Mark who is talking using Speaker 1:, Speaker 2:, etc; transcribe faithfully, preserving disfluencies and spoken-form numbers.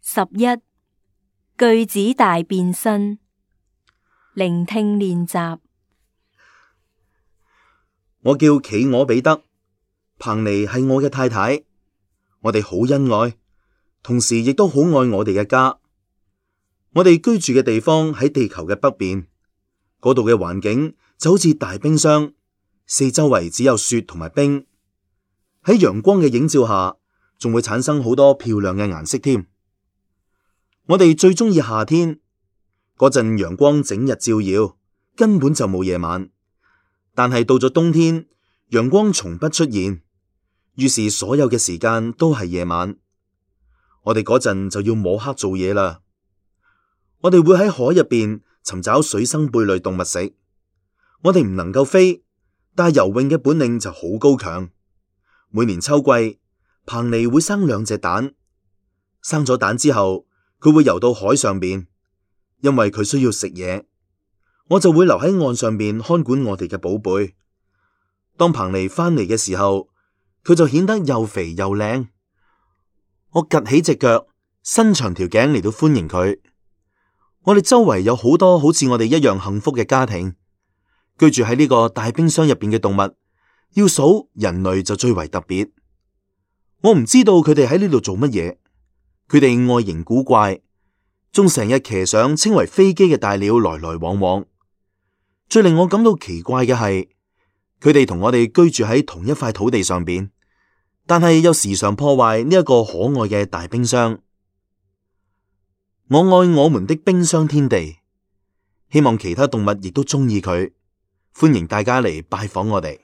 Speaker 1: 十一句子大變身，聆聽練習。
Speaker 2: 我叫企鵝彼得，彭妮係我嘅太太，我哋好恩愛，同時亦都好愛我哋嘅家。我哋居住嘅地方喺地球嘅北邊，嗰度嘅環境就好似大冰箱，四周圍只有雪同埋冰，喺陽光嘅映照下，仲會產生好多漂亮嘅顏色添。我哋最中意夏天嗰陣，陽光整日照耀，根本就冇夜晚。但係到咗冬天，陽光從不出現，於是所有嘅時間都係夜晚。我哋嗰陣就要摸黑做嘢啦。我哋會喺海入邊尋找水生貝類動物食。我哋唔能夠飛，但係游泳嘅本領就好高強。每年秋季，彭妮會生兩隻蛋，生咗蛋之後，佢會游到海上邊，因為佢需要食嘢。我就會留喺岸上邊看管我哋嘅寶貝。當彭妮翻嚟嘅時候，佢就顯得又肥又靚。我趷起隻腳，伸長條頸嚟到歡迎佢。我哋周圍有好多好似我哋一樣幸福嘅家庭，居住喺呢個大冰箱入邊嘅動物，要數人類就最為特別。我唔知道佢哋喺呢度做乜嘢，佢哋外形古怪，仲成日騎上稱為飛機嘅大鳥來來往往。最令我感到奇怪嘅係，佢哋同我哋居住喺同一塊土地上邊，但係又時常破壞呢一個可愛嘅大冰箱。我愛我們的冰箱天地，希望其他動物亦都中意佢。歡迎大家嚟拜訪我哋。